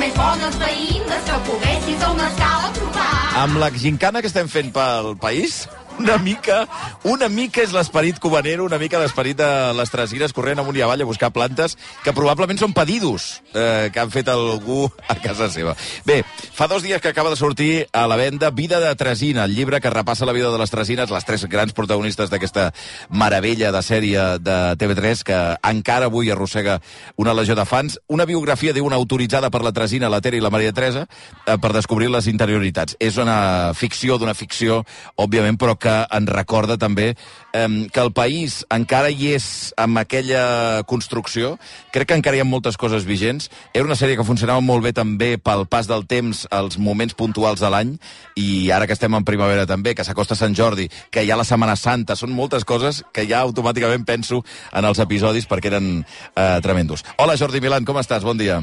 més bones veïnes que poguessis a una escala trobar. Amb la gincana que estem fent pel país, una mica és l'esperit cubanero, una mica l'esperit de les tresines corrent amunt i avall a buscar plantes que probablement són pedidos que han fet algú a casa seva. Bé, fa 2 dies que acaba de sortir a la venda Vida de Tresina, el llibre que repassa la vida de les tresines, les 3 grans protagonistes d'aquesta meravella de sèrie de TV3 que encara avui arrossega una legió de fans. Una biografia, diu, una autoritzada per la Tresina, la Tere i la Maria Teresa, per descobrir les interioritats. És una ficció d'una ficció, òbviament, però que ens recorda també que el país encara hi és amb aquella construcció. Crec que encara hi ha moltes coses vigents. Era una sèrie que funcionava molt bé també pel pas del temps, als moments puntuals de l'any, i ara que estem en primavera també, que s'acosta Sant Jordi, que hi ha la Setmana Santa, són moltes coses que ja automàticament penso en els episodis perquè eren tremendos. Hola, Jordi Milán, com estàs? Bon dia.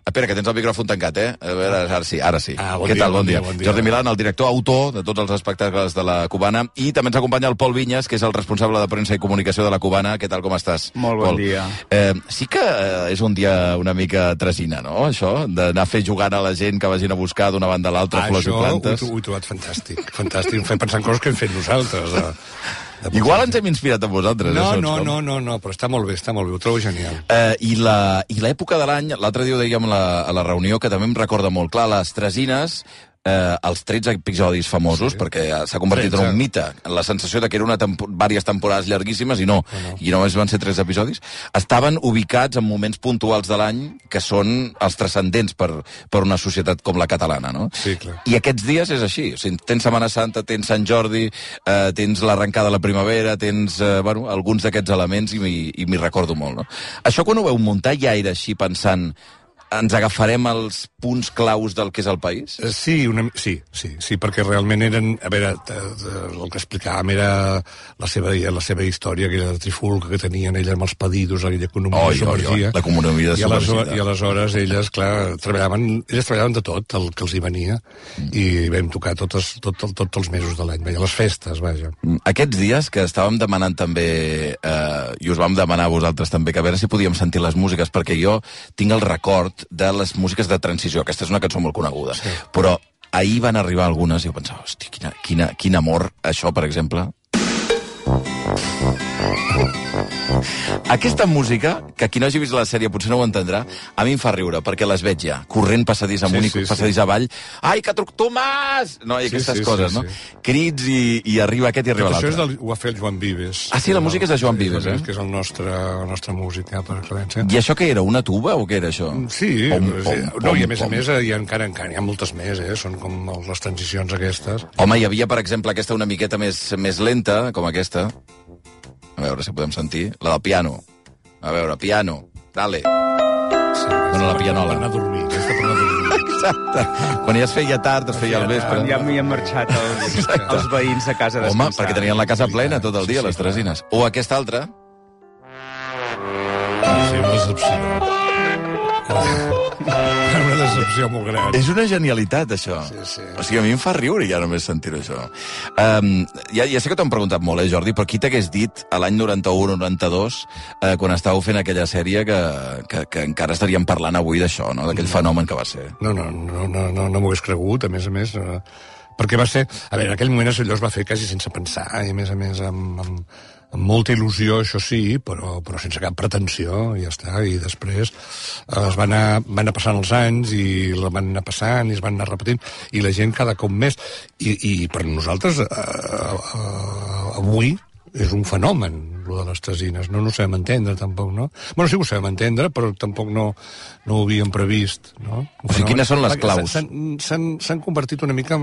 Espera, que tens el micròfon tancat, eh? A veure, ara sí. Què tal? Bon dia. Jordi Milán, el director, autor de tots els espectacles de la Cubana, i també ens acompanya el Pol Vinyes, que és el responsable de premsa i comunicació de la Cubana. Què tal, com estàs? Molt bon dia. Sí que és un dia una mica tresina, no?, això? D'anar a fer jugant a la gent que vagin a buscar d'una banda a l'altra flors i plantes. Això ho he trobat fantàstic. Fantàstic. Em fa pensar en coses que hem fet nosaltres. Igual ens hem inspirat en vosaltres. No, però està molt bé, ho trobo genial. I l'època de l'any, l'altre dia ho dèiem a la reunió, que també em recorda molt clar, les tresines, els 13 episodis famosos, perquè s'ha convertit en un mite, la sensació de que eren diverses temporades llarguíssimes, i només van ser 3 episodis, estaven ubicats en moments puntuals de l'any que són els transcendents per una societat com la catalana, no? Sí, clar. I aquests dies és així. O sigui, tens Setmana Santa, tens Sant Jordi, tens l'arrencada de la primavera, tens alguns d'aquests elements, i m'hi recordo molt, no? Això, quan ho veu muntar, ja era així pensant ens agafarem els punts claus del que és el país? Sí, perquè realment eren... A veure, el que explicàvem era la seva història, aquella trifulca que tenien elles amb els pedidos, aquella economia submergia. L'economia submergida. I aleshores elles, clar, treballaven de tot el que els hi venia, i vam tocar tots els mesos de l'any, les festes, vaja. Aquests dies que estàvem demanant també, i us vam demanar a vosaltres també, que a veure si podíem sentir les músiques, perquè jo tinc el record de les músiques de transició. Aquesta és una cançó molt coneguda. Sí. Però ahir van arribar algunes i jo pensava, hosti, quin amor, això, per exemple. Aquesta música, que qui no hagi vist la sèrie potser no ho entendrà, a mi em fa riure, perquè les veig ja, corrent passadís amunt i passadís avall. Ai, que truc Tomàs! No, i aquestes coses, no? Crits i arriba aquest i arriba l'altre. Això ho va fer el Joan Vives. Ah, sí, la música és de Joan Vives, eh? Que és la nostra música, per excel·lència. I això què era, una tuba o què era això? Sí, i a més encara hi ha moltes més, són com les transicions aquestes. Home, hi havia, per exemple, aquesta una miqueta més lenta, com aquesta. A veure si podem sentir. La del piano. A veure, piano. Dale. Sí, la pianola. Per anar a dormir. Exacte. Quan ja es feia tard, es feia al vespre. Ja m'hi han marxat els veïns a casa a descansar. Home, perquè tenien la casa plena tot el dia, les tresines. O aquesta altra. Sí, una decepció. Una decepció molt gran. És una genialitat, això. Sí. O sigui, a mi em fa riure ja només sentir-ho, això. Ja sé que t'ho han preguntat molt, Jordi, però qui t'hagués dit a l'any 91-92, quan estàveu fent aquella sèrie, que encara estaríem parlant avui d'això, no? D'aquell fenomen que va ser? No m'ho hagués cregut, a més, perquè va ser... A veure, en aquell moment allò es va fer quasi sense pensar, i a més amb molta il·lusió, això sí, però sense cap pretensió, i ja està. I després es van anar passant els anys, i la van anar passant, i es van anar repetint, i la gent cada cop més. I per nosaltres, avui, és un fenomen, lo de les tresines. No ho sabem entendre, tampoc, no? Bueno, sí que ho sabem entendre, però tampoc no ho havíem previst, no? O sigui, quines són les claus? S'han convertit una mica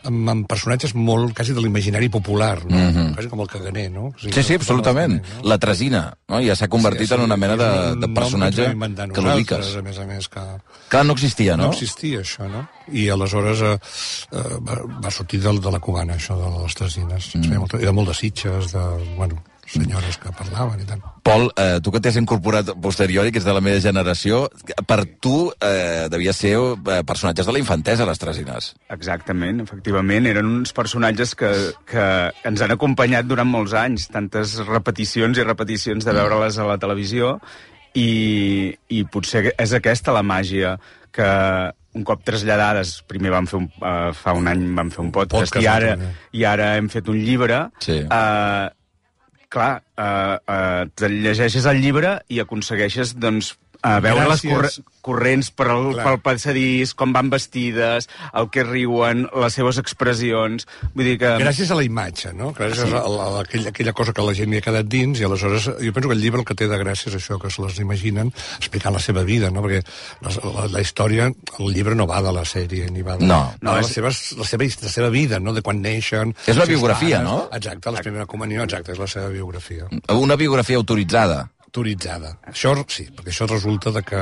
en personatges molt, quasi de l'imaginari popular, no? Quasi com el caganer, no? O sigui, sí, absolutament. La tresina, no? Ja s'ha convertit en una mena de personatge que l'ubiques. A més, que... Clar, no existia, no? No existia, això, no? I aleshores va sortir de la Cubana, això de les tresines. I de molt de Sitges, senyores que parlaven i tant. Pol, tu que t'has incorporat posteriori, que ets de la meva generació, per tu devia ser personatges de la infantesa, les tresines. Exactament, efectivament. Eren uns personatges que ens han acompanyat durant molts anys, tantes repeticions i repeticions de veure-les a la televisió, i potser és aquesta la màgia que un cop traslladades, primer vam fer fa un any vam fer un podcast i ara hem fet un llibre. Sí. Clar, te llegeixes el llibre i aconsegueixes, doncs, veure les corrents pel passadís, com van vestides, el que riuen, les seves expressions... Vull dir que... Gràcies a la imatge, no? Gràcies a aquella cosa que la gent hi ha quedat dins, i aleshores jo penso que el llibre el que té de gràcia és això, que se les imaginen explicant la seva vida, no? Perquè la història, el llibre no va de la sèrie, ni va de... No. La seva vida, no? De quan neixen... És la biografia, no? Exacte, la primera comunió, exacte, és la seva biografia. Una biografia autoritzada. Això sí, perquè això resulta de que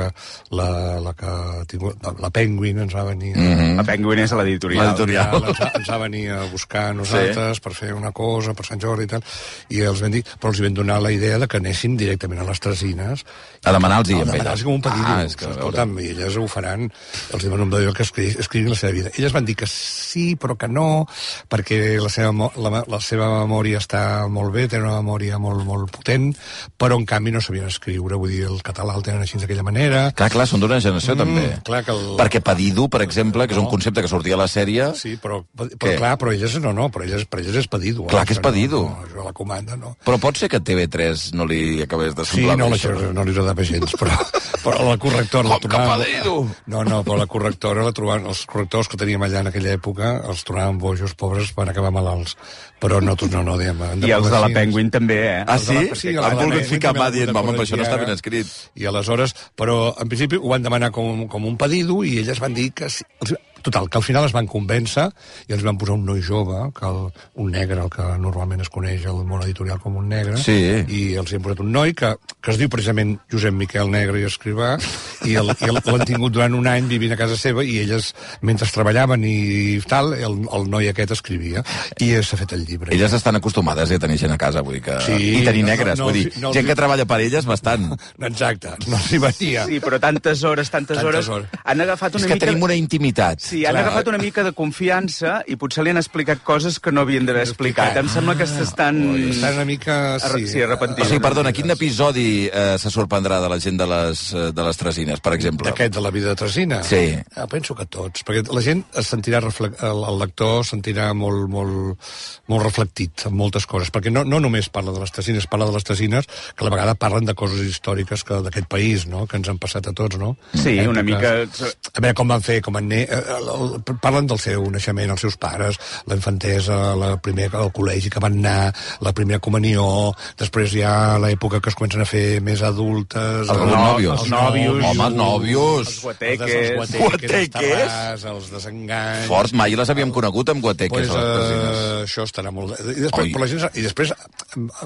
la Penguin ens va venir... La Penguin és l'editorial. Ens va venir a buscar a nosaltres per fer una cosa, per Sant Jordi i tal, i els vam dir, però els vam donar la idea de que anessin directament a les Tresines. A demanar-los amb elles. Com un pedido. Escolta'm, i elles ho faran, els diuen un pedido que escriguin la seva vida. Elles van dir que sí, però que no, perquè la seva memòria està molt bé, té una memòria molt, molt potent, però en canvi no sabien escriure, vull dir, el català el tenen així d'aquella manera. Clar, són d'una generació també. Perquè pedido, per exemple, que és un concepte que sortia a la sèrie... Sí, però elles no, per elles és pedido. Clar que és pedido. Això la comanda, no. Però pot ser que TV3 no li acabés de semblar bé això. Sí, no li agradava gens, però la correctora la trobava... No, però la correctora la trobaven... Els correctors que teníem allà en aquella època els trobaven bojos, pobres, van acabar malalts. Però no, diguem... I els de la Penguin també, eh? Ah, sí? Han volgut ficar mà dient, home, això no està ben escrit. I aleshores, però en principi ho van demanar com un pedido i elles van dir que sí. Total, que al final es van convèncer i els van posar un noi jove, un negre, el que normalment es coneix al món editorial com un negre, i els hi han posat un noi que es diu precisament Josep Miquel Negre i Escrivà, i l'han tingut durant un any vivint a casa seva, i elles, mentre treballaven i tal, el noi aquest escrivia, i s'ha fet el llibre. Elles estan acostumades a tenir gent a casa, vull dir que... I tenir negres, vull dir, gent que treballa per elles, bastant. Exacte, no s'hi venia. Sí, però tantes hores, han agafat una mica... És que tenim una intimitat. Sí, han agafat una mica de confiança i potser li han explicat coses que no havien d'haver explicat. Em sembla que s'estan... Estan una mica... Sí, arrepentint. O sigui, perdona, quin episodi se sorprendrà de la gent de les Tresines, per exemple? D'aquest, de la vida de Tresina? Sí. Penso que tots, perquè la gent es sentirà... El lector es sentirà molt reflectit en moltes coses, perquè no només parla de les Tresines, parla de les Tresines que a la vegada parlen de coses històriques d'aquest país, no?, que ens han passat a tots, no? Sí, una mica... A veure, com van fer, parlen del seu naixement, els seus pares, la infantesa, el col·legi que van anar, la primera comunió, després hi ha l'època que es comencen a fer més adultes... Els nòvios. Home, els nòvios. Els guateques. Els desenganys... Fort, mai les havíem conegut amb guateques. Això estarà molt... I després,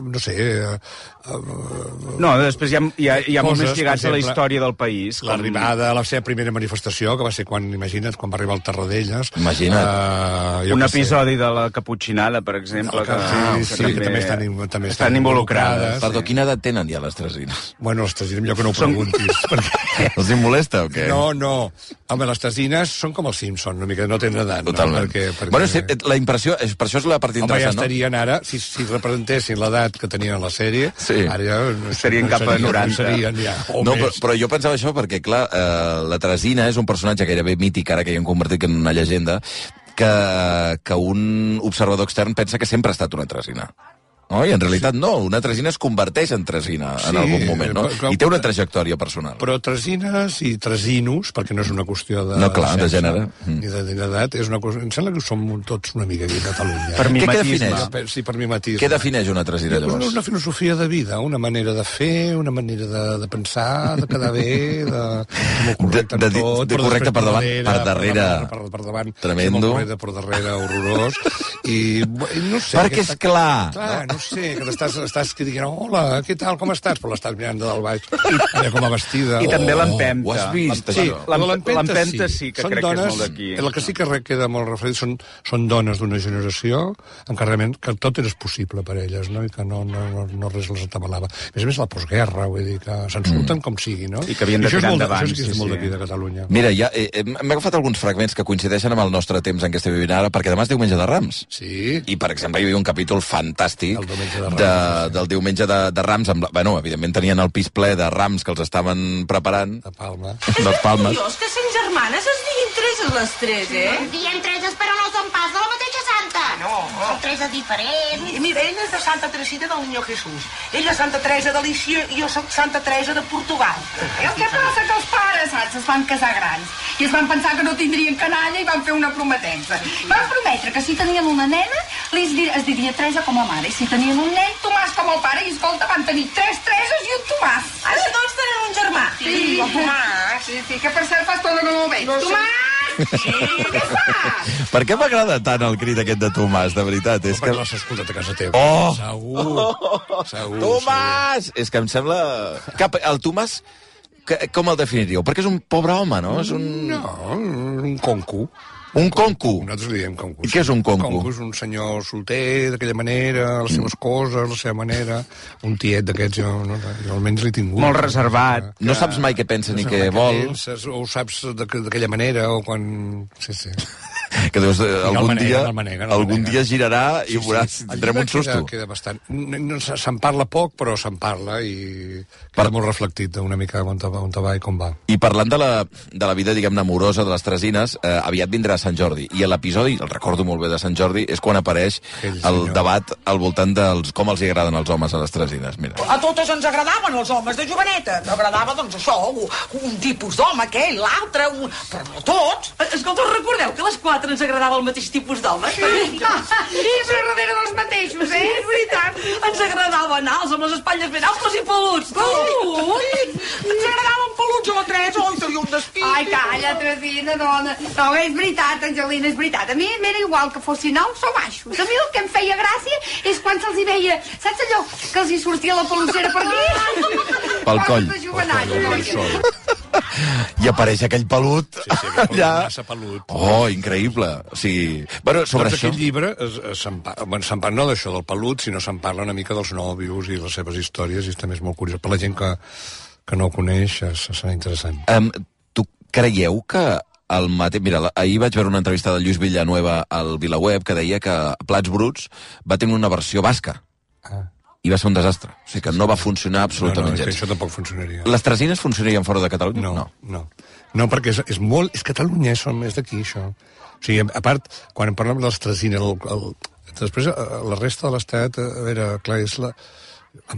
no sé... No, després hi ha molts més lligats a la història del país. L'arribada a la seva primera manifestació, que va ser quan va arribar al Tarradellas. Imagina't. Un episodi de la Caputxinada, per exemple, que també estan involucrades. Perdó, quina edat tenen ja les Tresines? Bueno, les Tresines, millor que no ho preguntis. Els hi molesta o què? No. Home, les Tresines són com els Simpsons, una mica, no tenen edat. Totalment. Bueno, la impressió, per això és la part interessant, no? Home, ja estarien ara, si representessin l'edat que tenien a la sèrie, ara ja... Serien cap a 90. No, però jo pensava això perquè, clar, la Tresina és un personatge gairebé mític, ara que hi hem convertit en una llegenda, que un observador extern pensa que sempre ha estat una Tresina. No? I en realitat no, una Tresina es converteix en Tresina en algun moment, no? I té una trajectòria personal. Però Tresines i Tresinos, perquè no és una qüestió de... No, clar, de gènere. Ni d'edat, és una qüestió... Em sembla que som tots una mica aquí a Catalunya. Per mimetisme. Sí, per mimetisme. Què defineix una Tresina, llavors? Una filosofia de vida, una manera de fer, una manera de pensar, de quedar bé, de molt correcte en tot. De correcte per davant, per darrere. Per davant. Tremendo. Molt correcte per darrere, horrorós. I no sé... Perquè és clar. No sé, que estàs dient, hola, què tal, com estàs? Però l'estàs mirant de dalt baix, com a vestida. I també l'empenta. Ho has vist, sí, això? L'empenta sí, que crec que és molt d'aquí. El que sí que queda molt refredit són dones d'una generació en què realment que tot és possible per elles, no? I que no res les atabalava. A més la postguerra, vull dir, que se'n surten com sigui, no? I que havien de tirar endavant. Això és molt d'aquí, de Catalunya. Mira, m'he agafat alguns fragments que coincideixen amb el nostre temps en què estem vivint ara, perquè demà és diumenge de Rams. Sí. I, per exemple, hi havia un capítol fantàstic del diumenge de Rams. Bueno, evidentment tenien el pis ple de rams que els estaven preparant. De Palma. De Palmes. És que sent germanes es diguin treses les tres, Es diem treses, però no són pas de la mateixa santa. No. Són treses diferents. Mira, ella és de Santa Teresita del Niño Jesús. Ella és Santa Teresa de Lícia i jo soc Santa Teresa de Portugal. El que passa que els pares, saps, es van casar grans i es van pensar que no tindrien canalla i van fer una prometença. Van prometre que si tenien una nena es diria Teresa com a mare i si tenien un nen, Tomàs com el pare i escolta, van tenir 3 Tereses i un Tomàs. Ara tots tenen un germà. Sí, el Tomàs. Sí, que per cert fa estona que no el veig. No, Tomàs! Sí, què fas? Per què m'agrada tant el crit aquest de Tomàs, de veritat? És Perquè que... l'has escoltat a casa teva. Segur. Tomàs! És que em sembla... El Tomàs, com el definiríeu? Perquè és un pobre home, no? És un... No, un conco. Un conco. Nosaltres li diem conco. I què és un conco? Un conco és un senyor solter, d'aquella manera, les seves coses, la seva manera, un tiet d'aquests, jo almenys l'he tingut. Molt reservat. No saps mai què pensa ni què vol. Penses, o ho saps d'aquella manera, o quan... Sí. Que dius, algun manega. dia girarà i veuràs, tindrem un susto. Queda bastant. Se'n parla poc, però se'n parla i queda molt reflectit una mica on va i com va. I parlant de la vida, diguem-ne, amorosa de les Tresines, aviat vindrà Sant Jordi. I l'episodi, el recordo molt bé de Sant Jordi, és quan apareix el debat al voltant dels com els hi agraden els homes a les Tresines. Mira. A totes ens agradaven els homes de joveneta. T'agradava, doncs, això, un tipus d'home, aquell, l'altre, però no tots. Escolta, us recordeu que a les 4 ens agradava el mateix tipus d'home? Sí, i darrere dels mateixos, Sí, és veritat. Ens agradaven alts, amb les espatlles ben amples i peluts. Ui, ens agradaven peluts a la Teresa, oi, tenia un despí. Ai, calla, Teresina, dona. No, és veritat, Angelina, és veritat. A mi m'era igual que fossin alts o baixos. A mi el que em feia gràcia és quan se'ls hi veia, saps allò, que els hi sortia la pelucera per aquí? Pel coll. De jovenalla. I apareix aquell pelut allà. Massa pelut. Oh, increïble. O sigui, bueno, sobre doncs això... aquest llibre se'n parla no d'això del pelut, sinó se'n parla una mica dels nòvios i les seves històries, i també és molt curiós. Per la gent que no ho coneix, serà interessant. Tu creieu que el mateix... Mira, ahir vaig veure una entrevista de Lluís Villanueva al VilaWeb que deia que Plats Bruts va tenir una versió basca. I va ser un desastre. O sigui que no va funcionar absolutament gens. Això tampoc funcionaria. Les Tresines funcionarien fora de Catalunya? No, perquè és molt... És Catalunya, és d'aquí, això. O sigui, a part, quan parlem de les Tresines, després la resta de l'Estat, a veure, clar, és la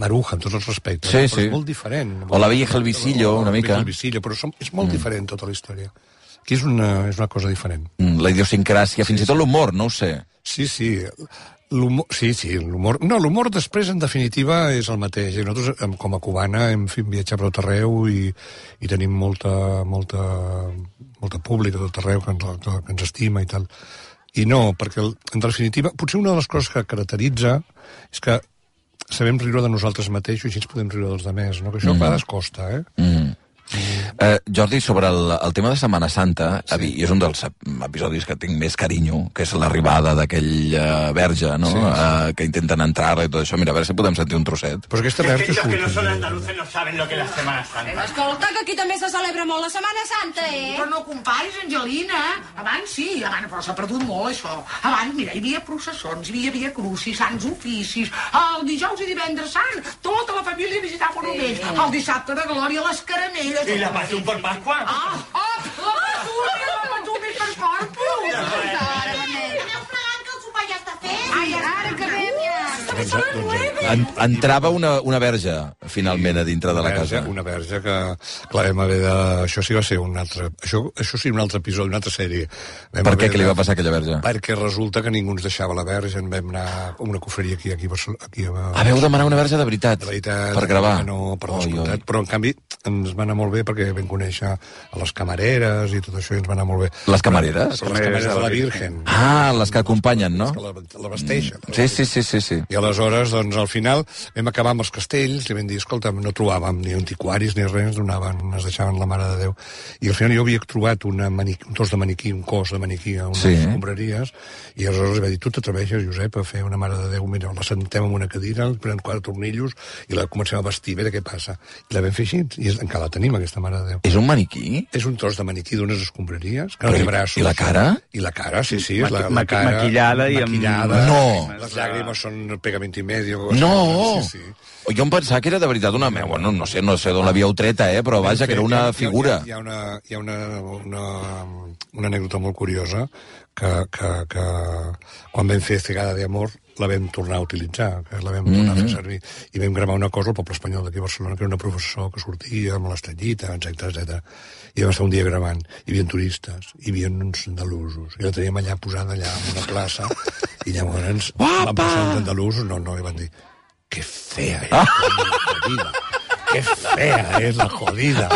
Maruja, amb tots els respectes. Sí. Però és molt diferent. O la Villa Gelvisillo, una mica. La Villa Gelvisillo, però és molt diferent tota la història. Aquí és una cosa diferent. La idiosincràsia, fins i tot l'humor, no ho sé. Sí. L'humor... No, l'humor després, en definitiva, és el mateix. I nosaltres, com a cubana, hem viatjat per tot arreu i tenim molta públic a tot arreu que ens estima i tal. I no, perquè, en definitiva, potser una de les coses que caracteritza és que sabem riure de nosaltres mateixos i així ens podem riure dels altres, no? Que això a vegades costa, Jordi, sobre el tema de Setmana Santa, sí. És un dels episodis que tinc més carinyo, que és l'arribada d'aquell verge, no? Sí. Que intenten entrar i tot això. Mira, a veure si podem sentir un trosset. Però aquesta verge és que no són andaluces no saben lo que és la Setmana Santa. Escolta, que aquí també se celebra molt la Setmana Santa, Però no comparis, Angelina. Abans sí, però s'ha perdut molt, això. Abans, mira, hi havia processons, hi havia crucis, sants oficis, el dijous i divendres sant, tota la família visitava monuments, el dissabte de glòria, les caramelles... I la patum per Pasqua? La patum per Corpus! Aneu plegant que el sopar ja està fet. Ai, ara que ve, Entrava una verge, finalment, a dintre de la casa. Una verge que, clar, vam haver de... Això sí va ser un altre... Això sí, un altre episodi, una altra sèrie. Per què? Què li va passar a aquella verge? Perquè resulta que ningú ens deixava la verge, en vam anar a una cofreria aquí a veu demanar una verge de veritat? De veritat. Per gravar? No, per descomptat. Però, en canvi, ens va anar molt bé perquè vam conèixer a les camareres i tot això, i ens va anar molt bé. Les camareres? Les camareres de la Virgen. Ah, les que acompanyen, no? Que la vesteixen. Sí. I aleshores, doncs, al final, vam acabar amb els castells, li vam dir dir, escolta, no trobàvem ni antiquaris ni res, ens deixaven la Mare de Déu. I al final jo havia trobat un tros de maniquí, un cos de maniquí a unes escombraries, i aleshores va dir, tu t'atreveixes, Josep, a fer una Mare de Déu, mira, la sentem en una cadira, prenen 4 tornillos i la comencem a vestir, a veure què passa. I la vam fer així, i encara la tenim, aquesta Mare de Déu. És un maniquí? És un tros de maniquí d'unes escombraries, que no té braços. I la cara? I la cara, sí, és la cara... Maquillada i amb... No! Les llàgrimes són pegamento i medio. No! Jo em pensava que era de veritat una... Bueno, no sé d'on l'havíeu treta, però vaja, que era una figura. Hi ha una anècdota molt curiosa que quan vam fer Cegada de Amor la vam tornar a utilitzar, que la vam tornar a fer servir. I vam gravar una cosa al Poble Espanyol d'aquí a Barcelona, que era una professor que sortia amb l'estrellita, etc. I vam estar un dia gravant. Hi havia turistes, hi havia uns andalusos. I la teníem allà posada allà en una plaça, i llavors van passar uns andalusos, i van dir, que fea és la jodida. Que fea és la jodida.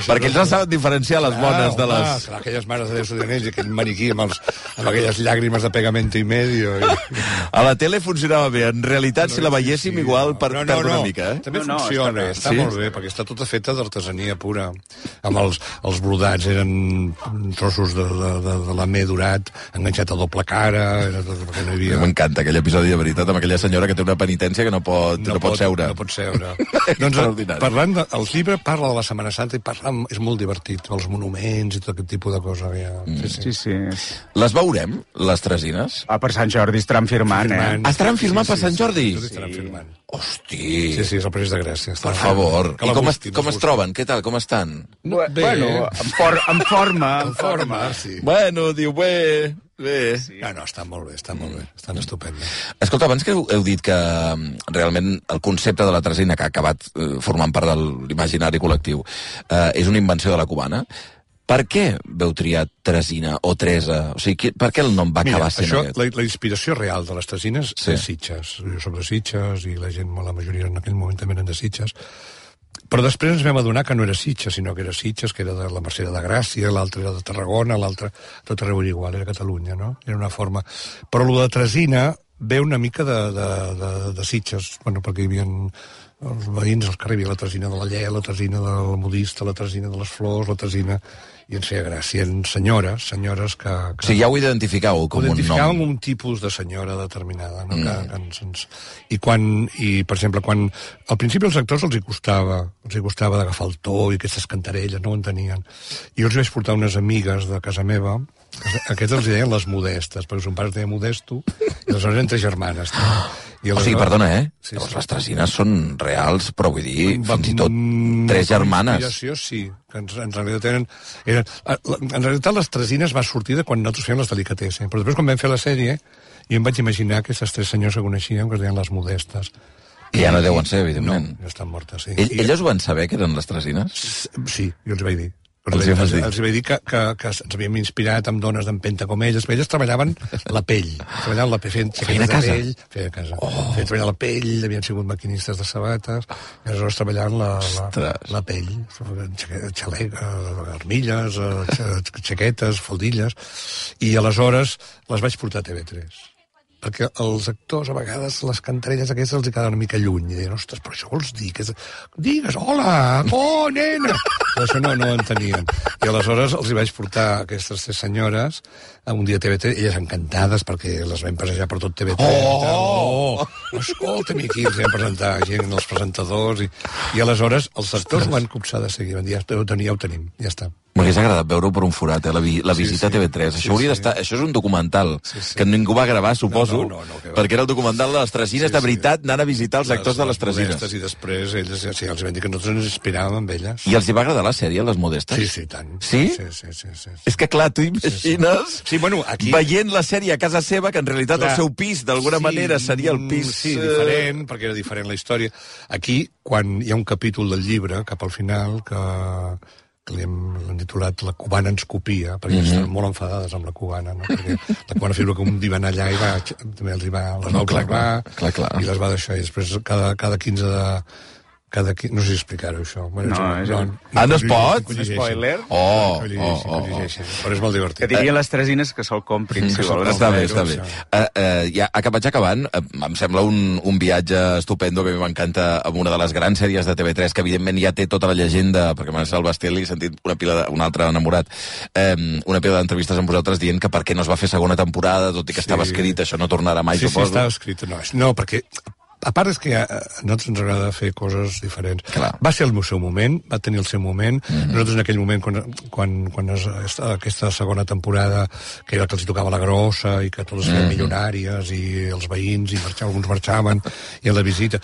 Perquè ells no saben diferenciar les bones de les... Clar, aquelles mares de Déu Sodanells i aquell maniquí amb aquelles llàgrimes de pegamento i medio. A la tele funcionava bé. En realitat, si la veiéssim, igual perd una mica, També funciona, està molt bé, perquè està tota feta d'artesania pura. Amb els brodats eren trossos de lamé durat, enganxat a doble cara, perquè no hi havia... M'encanta aquell episodi, de veritat, amb aquella senyora que té una penitència que no pot seure. No pot seure. Doncs, parlant el llibre parla de la Setmana Santa i és molt divertit, els monuments i tot aquest tipus de coses. Sí. Les veurem, les Tresines? Per Sant Jordi estaran firmant, Estaran firmant per Sant Jordi? Estaran firmant. Hosti! Sí, és el París de Gràcia. Per favor. I com es troben? Què tal? Com estan? Bueno, en forma. Sí. Bueno, diu, bé... Sí. No, està molt bé, estan estupends. Escolta, abans que heu dit que realment el concepte de la tresina que ha acabat formant part de l'imaginari col·lectiu és una invenció de la cubana, per què veu triar tresina o tresa? O sigui, per què el nom va acabar sent aquest? La inspiració real de les tresines és Sitges. Jo soc de Sitges i la majoria en aquell moment també eren de Sitges. Però després ens vam adonar que no era Sitges, sinó que era Sitges, que era de la Mercè de Gràcia, l'altre era de Tarragona, l'altre tot arreu era igual, era Catalunya, no? Era una forma... Però lo de tresina ve una mica de Sitges, perquè hi havia els veïns al carrer, hi havia la tresina de la Lle, la tresina del modista, la tresina de les flors, la tresina... I ens feia gràcia, senyores que... O sigui, ja ho identificàveu com un nom. Identificàvem un tipus de senyora determinada, no? I, per exemple, quan al principi als actors els hi costava d'agafar el to i aquestes cantarelles, no ho entenien. I jo els vaig portar unes amigues de casa meva, aquestes els deien les Modestes, perquè son pare es deia Modesto, i aleshores eren 3 germanes. O sigui, perdona, Sí. Llavors les tresines són reals, però vull dir, fins i tot 3 germanes. Inspiració, sí, que en realitat eren... En realitat les tresines va sortir de quan nosaltres fèiem les delicatessen, però després quan vam fer la sèrie jo em vaig imaginar aquestes 3 senyors que coneixíem, que es deien les Modestes. I ja no deuen ser, evidentment. No, ja estan mortes, sí. Elles ho van saber, que eren les tresines? Sí, jo els vaig dir. Els vaig dir que ens havíem inspirat amb dones d'empenta com elles, perquè elles treballaven la pell. Treballaven la pell, feien a casa. Feien a casa. Feien treballar la pell, havien sigut maquinistes de sabates, i aleshores treballaven la pell. Xalec, armilles, xaquetes, faldilles, i aleshores les vaig portar a TV3. Perquè els actors, a vegades, les cantarelles aquestes els hi quedaven una mica lluny. I deien, ostres, però això vols dir? Digues, hola, nena! Però això no ho entenien. I aleshores els hi vaig portar aquestes 3 senyores un dia a TV3, elles encantades, perquè les vam passejar per tot TV3. Escolta'm, aquí els vam presentar gent, els presentadors, i aleshores els actors ho van copsar de seguir. Van dir, ja ho tenim, ja està. M'hagués agradat veure-ho per un forat, la visita a TV3. Això hauria d'estar... Això és un documental que ningú va gravar, suposo, perquè era el documental de les tresines de veritat, anant a visitar els actors de les tresines. I després ells els van dir que nosaltres ens inspiràvem amb elles. I els hi va agradar la sèrie, les Modestes? Sí, tant. Sí? Sí. És que, clar, tu imagines aquí... veient la sèrie a casa seva, que en realitat el seu pis, d'alguna manera, seria el pis... Sí, diferent, perquè era diferent la història. Aquí, quan hi ha un capítol del llibre, cap al final, que l'hem titulat La cubana ens copia, perquè estan molt enfadades amb la cubana, no? Perquè la cubana figura que un dia va anar allà i també les va observar i les va deixar. I després, cada 15 No sé si explicar-ho, això. Bueno, no es pot? Spoiler? Però és molt divertit. Que diria les tresines que se'l comprin, si volen. Està bé. Ja vaig acabant. Em sembla un viatge estupendo, que a mi m'encanta, amb una de les grans sèries de TV3, que evidentment ja té tota la llegenda, perquè m'ha el Bastelli, he sentit un altre enamorat, una pila d'entrevistes amb vosaltres dient que per què no es va fer segona temporada, tot i que estava escrit, això no tornarà mai, suposo. Sí, estava escrit. No, perquè a part és que a nosaltres ens agrada fer coses diferents. Clar. Va ser el seu moment, va tenir el seu moment. Nosaltres en aquell moment, quan aquesta segona temporada, que era que els tocava la grossa i que totes eren milionàries i els veïns, i alguns marxaven, i a la visita...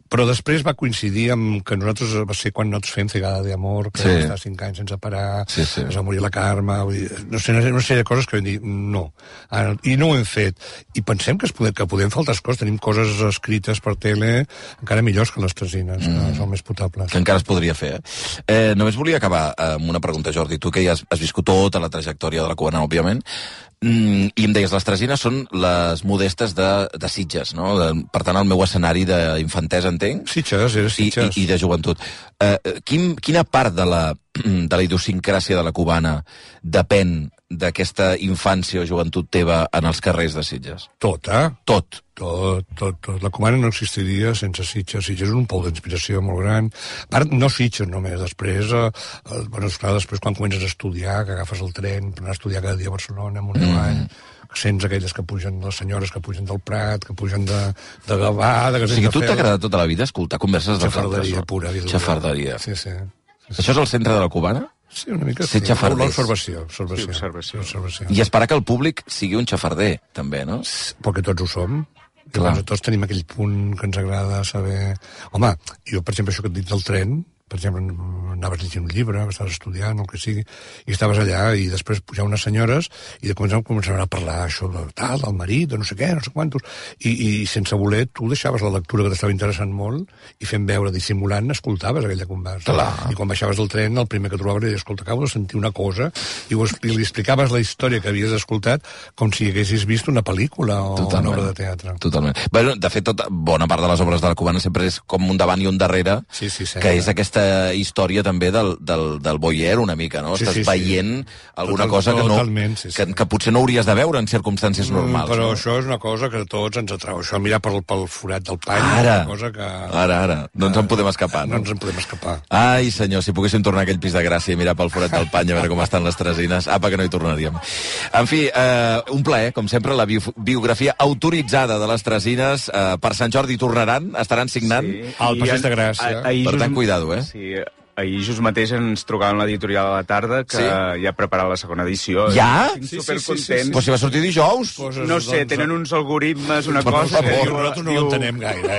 Però després va coincidir amb que nosaltres, va ser quan nosaltres fem Cegada de Amor, que va estar 5 anys sense parar, es va morir la Carme, no sé, una sèrie de coses que vam dir no. I no ho hem fet. I pensem que podem fer altres coses. Tenim coses escrites per tele encara millors que les tresines, que són més potables. Que encara es podria fer, només volia acabar amb una pregunta, Jordi. Tu que ja has viscut tota la trajectòria de la cubana, òbviament, i em deies, les tresines són les modestes de Sitges, no? Per tant, el meu escenari d'infantesa, entenc? Sitges, era Sitges. I de joventut. Quina part de la idiosincràsia de la cubana depèn d'aquesta infància o joventut teva en els carrers de Sitges? Tota. Tot. Tot. La cubana no existiria sense Sitges. Sitges és un pou d'inspiració molt gran. A part, no Sitges només. Després, després quan comences a estudiar, que agafes el tren per anar a estudiar cada dia a Barcelona, amunt i avall, sents aquelles que pugen, les senyores que pugen del Prat, que pugen de Gavà, de Gasell de Fel... O sigui, tu t'ha agradat tota la vida escoltar converses dels altres? Xafarderia pura. Xafarderia. Sí. Això és el centre de la cubana? Sí, una mica sí. L'observació. I esperar que el públic sigui un xafarder, també, no? Perquè tots ho som. Clar. Tots tenim aquell punt que ens agrada saber... Home, jo, per exemple, això que et dic del tren, per exemple, anaves llegint un llibre, estaves estudiant, el que sigui, i estaves allà, i després pujaven unes senyores, i de començaven a parlar això del marit, de no sé què, no sé quantos, i sense voler, tu deixaves la lectura que t'estava interessant molt, i fent veure, dissimulant, escoltaves aquella conversa. Clar. I quan baixaves del tren, el primer que trobaves era, escolta, acabo de sentir una cosa, i li explicaves la història que havies escoltat com si haguessis vist una pel·lícula o una obra de teatre. Totalment. Bueno, de fet, bona part de les obres de la cubana sempre és com un davant i un darrere, que és aquesta història també del voyeur una mica, no? Estàs veient alguna cosa que potser no hauries de veure en circumstàncies normals. Però això és una cosa que a tots ens atrau. Això, mirar pel forat del pany, ara, una cosa que... Ara. No ens en podem escapar, no? No ens en podem escapar. Ai, senyor, si poguéssim tornar a aquell pis de Gràcia i mirar pel forat del pany a veure com estan les tresines, apa que no hi tornaríem. En fi, un plaer, com sempre, la biografia autoritzada de les tresines. Per Sant Jordi tornaran, estaran signant. Sí. Al Passeig de Gràcia. Per tant, cuidado, Sí, ahir just mateix ens trucaven l'editorial a la tarda que ja ha preparat la segona edició. Ja? Estic supercontents. Però si va sortir dijous. No sé, tenen uns algoritmes, una cosa... Nosaltres no ho entenem gaire,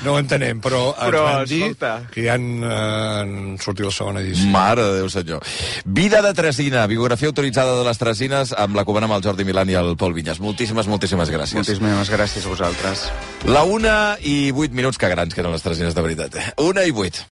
No ho entenem, però ens van dir que ja han sortit la segona edició. Mare de Déu, senyor. Vida de tresina, biografia autoritzada de les tresines amb la cubana, amb el Jordi Milán i el Pol Vinyes. Moltíssimes gràcies. Moltíssimes gràcies a vosaltres. La 1:08, que grans que eren les tresines de veritat. 1:08.